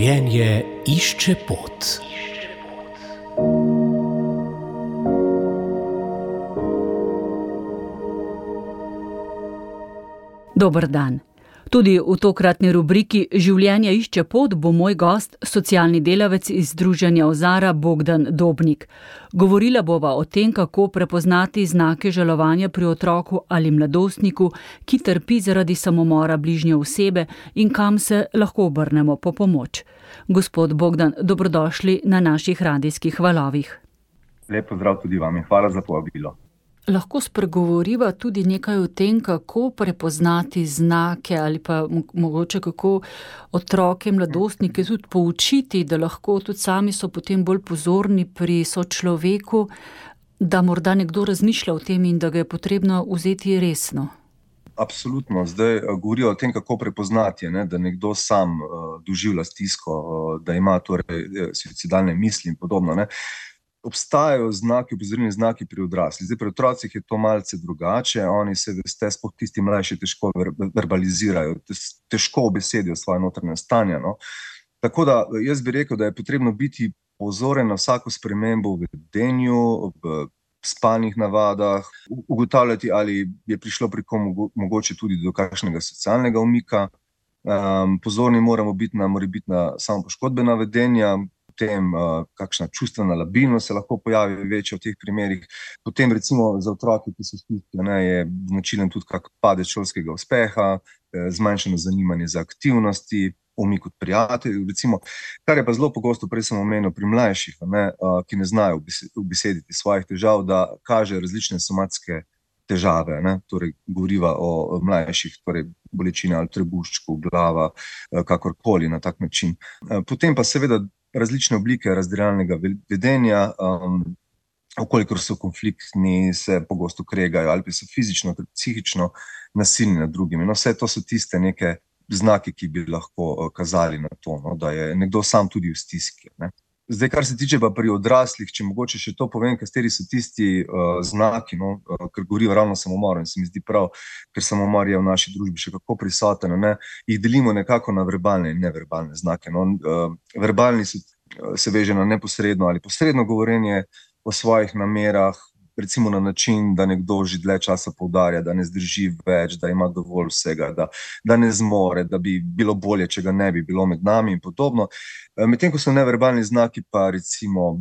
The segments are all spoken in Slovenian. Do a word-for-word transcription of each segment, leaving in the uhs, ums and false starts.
Življenje išče pot. Dober dan. Tudi v tokratni rubriki Življenje išče pot bo moj gost, socialni delavec iz Združenja Ozara Bogdan Dobnik. Govorila bova o tem, kako prepoznati znake žalovanja pri otroku ali mladostniku, ki trpi zaradi samomora bližnje osebe in kam se lahko obrnemo po pomoč. Gospod Bogdan, dobrodošli na naših radijskih valovih. Lep pozdrav tudi vam in hvala za povabilo. Lahko spregovoriva tudi nekaj o tem, kako prepoznati znake ali pa mogoče kako otroke, mladostnike tudi poučiti, da lahko tudi sami so potem bolj pozorni pri sočloveku, da morda nekdo razmišlja o tem in da ga je potrebno vzeti resno. Absolutno. Zdaj govorijo o tem, kako prepoznati, ne, da nekdo sam uh, doživlja stisko, uh, da ima torej suicidalne misli in podobno, ne. Obstajajo znaki, opozorilni znaki pri odraslih. Zdaj, pri otrocih je to malce drugače, oni se, veste, sploh tisti mlajši težko verbalizirajo, težko obesedijo svoje notranje stanje, no. Tako da jaz bi rekel, da je potrebno biti pozoren na vsako spremembo v vedenju, v spalnih navadah, ugotavljati, ali je prišlo pri kom mogoče tudi do kakšnega socialnega umika. Um, pozorni moramo biti na morebitna samopoškodbena vedenja, potem uh, kakšna čustvena labilnost se lahko pojavi večja v teh primerih. Potem recimo za otroke, ki so stiski, ne, je značilen tudi kak padec šolskega uspeha, eh, zmanjšano zanimanje za aktivnosti, umik od prijateljev, recimo, kar je pa zelo pogosto, prej sem omenil pri mlajših, ne, uh, ki ne znajo ubesediti svojih težav, da kaže različne somatske težave, ne, torej govoriva o mlajših, torej bolečine ali trebuščku, glava, kakorkoli na tak način. Potem pa seveda različne oblike razdiralnega vedenja, um, okolikor so konfliktni, se pogosto kregajo ali pa so fizično, psihično nasilni nad drugimi. No, vse to so tiste neke znake, ki bi lahko kazali na to, no, da je nekdo sam tudi v stiski, ne. Zdaj, kar se tiče pa pri odraslih, če mogoče še to povem, kateri so tisti uh, znaki, no, uh, ker govorijo ravno samomor in se mi zdi prav, ker samomor je v naši družbi še kako prisoten, ne, jih delimo nekako na verbalne in neverbalne znake. No. Uh, verbalni se, uh, se veže na neposredno ali posredno govorenje o svojih namerah, recimo na način, da nekdo že dlje časa poudarja, da ne zdrži več, da ima dovolj vsega, da, da ne zmore, da bi bilo bolje, če ga ne bi bilo med nami in podobno. Medtem ko so neverbalni znaki pa recimo,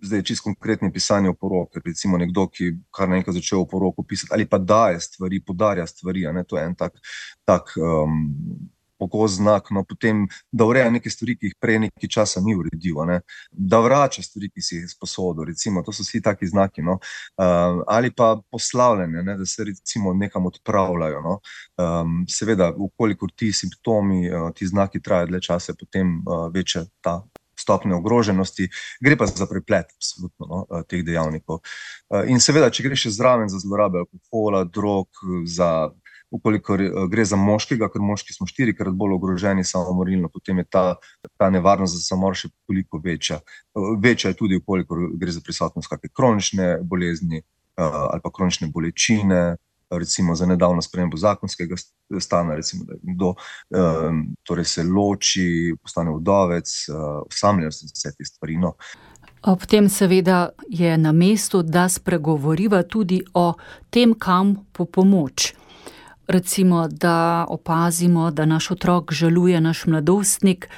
zdaj čisto konkretno pisanje o poroki, recimo nekdo, ki kar naenkrat začel o poroko pisati ali pa daje stvari, podarja stvari, a ne, to je en tak, tak um, pogost znak, no, potem, da ureja neke stvari, ki jih prej nekaj časa ni uredil, ne, da vrača stvari, ki si jih sposodil, recimo, to so vsi taki znaki, no, uh, ali pa poslavljanje, ne, da se recimo nekam odpravljajo, no, um, seveda, ukolikor ti simptomi, uh, ti znaki trajajo dlje časa, potem uh, večja ta stopnja ogroženosti, gre pa za preplet, absolutno, no, teh dejavnikov. Uh, in seveda, če gre še zraven za zlorabe alkohola, drog, za ukolikor gre za moškega, ker moški smo štirikrat bolj ogroženi samomorilno, potem je ta, ta nevarnost za samomor še toliko večja. Večja je tudi, ukolikor gre za prisotnost kakšne kronične bolezni ali pa kronične bolečine, recimo za nedavno spremembo zakonskega stanja, recimo, da kdo um, torej se loči, postane vdovec, uh, osamljajo se vse te stvari, no. Ob tem seveda je na mestu, da spregovoriva tudi o tem, kam po pomoč. Recimo, da opazimo, da naš otrok žaluje, naš mladostnik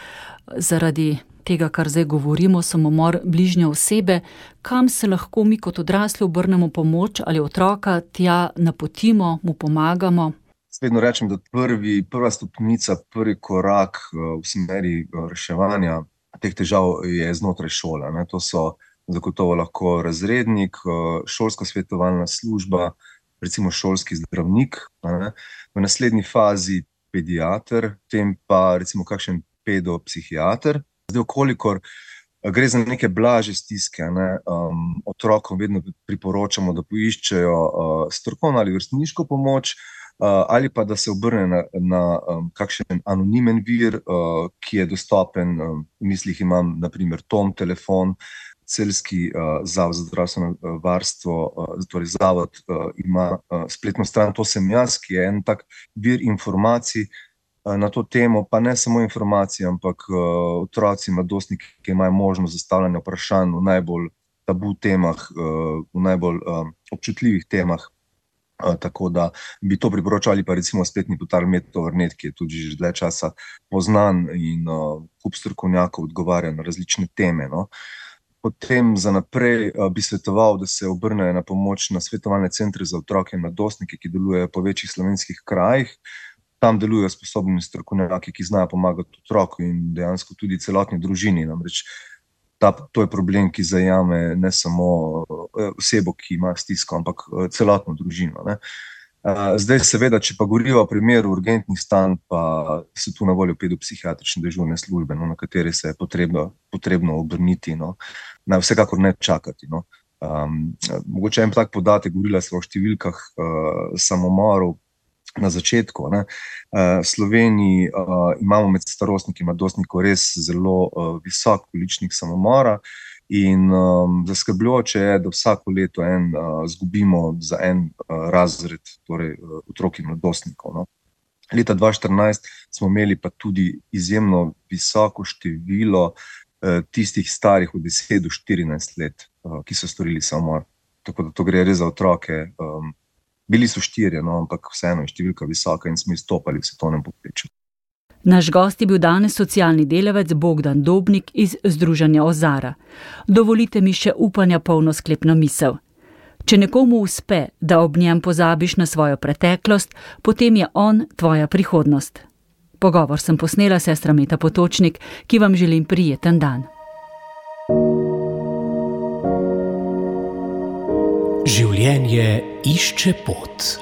zaradi tega, kar zdaj govorimo, samomor bližnje osebe, kam se lahko mi kot odrasli obrnemo pomoč ali otroka tja napotimo, mu pomagamo. Vedno rečem, da prvi, prva stopnica, prvi korak v smeri reševanja teh težav je znotraj šole, ne. To so zagotovo lahko razrednik, šolska svetovalna služba, recimo šolski zdravnik, ne, v naslednji fazi pediater, potem pa recimo kakšen pedopsihiater. Zdaj, okolikor gre za neke blaže stiske, ne, um, otrokom vedno priporočamo, da poiščejo uh, strokovno ali vrstniško pomoč, uh, ali pa da se obrne na, na um, kakšen anonimen vir, uh, ki je dostopen, um, v mislih imam na primer Tom telefon, Celjski uh, zavod za zdravstveno uh, varstvo, uh, torej zavod uh, ima uh, spletno stran, to sem jaz, ki je en tak vir informacij, na to temo, pa ne samo informacije, ampak otroci, mladostniki, ki imajo možnost zastavljanja vprašanj v najbolj tabu temah, v najbolj občutljivih temah. Tako da bi to priporočali, pa recimo spletni portal Med-Tovrnet, ki je tudi že dlje časa poznan in kup strokovnjakov odgovarja na različne teme. No. Potem za naprej bi svetoval, da se obrnejo na pomoč na svetovalne centre za otroke in mladostnike, ki delujejo po večjih slovenskih krajih. Tam delujejo sposobni strokovnjaki, ki znajo pomagati otroku in dejansko tudi celotni družini. Namreč ta, to je problem, ki zajame ne samo osebo, ki ima stisko, ampak celotno družino. Ne. Zdaj seveda, če pa govoriva o primeru urgentnih stanj, pa so tu na voljo pedopsihiatrične dežurne službe, no, na katere se je potrebno, potrebno obrniti, no. Na vsekakor ne čakati. No. Um, mogoče en tak podatek, govorila sva o številkah uh, samomorov na začetku. Ne. Uh, v Sloveniji uh, imamo med starostniki in mladostnikov res zelo uh, visok količnik samomora. In um, zaskrbljujoče je, da vsako leto en uh, zgubimo za en uh, razred, torej uh, otrok in mladostnikov. No. Leta dva tisoč štirinajst smo imeli pa tudi izjemno visoko število uh, tistih starih od deset do štirinajst let, uh, ki so storili samomor. Tako da to gre res za otroke. Um, bili so štirje, no, ampak vseeno je številka visoka in smo izstopali v svetovnem povprečju. Naš gost je bil danes socialni delavec Bogdan Dobnik iz Združenja Ozara. Dovolite mi še upanja polno sklepno misel. Če nekomu uspe, da ob njem pozabiš na svojo preteklost, potem je on tvoja prihodnost. Pogovor sem posnela sestra Meta Potočnik, ki vam želim prijeten dan. Življenje išče pot.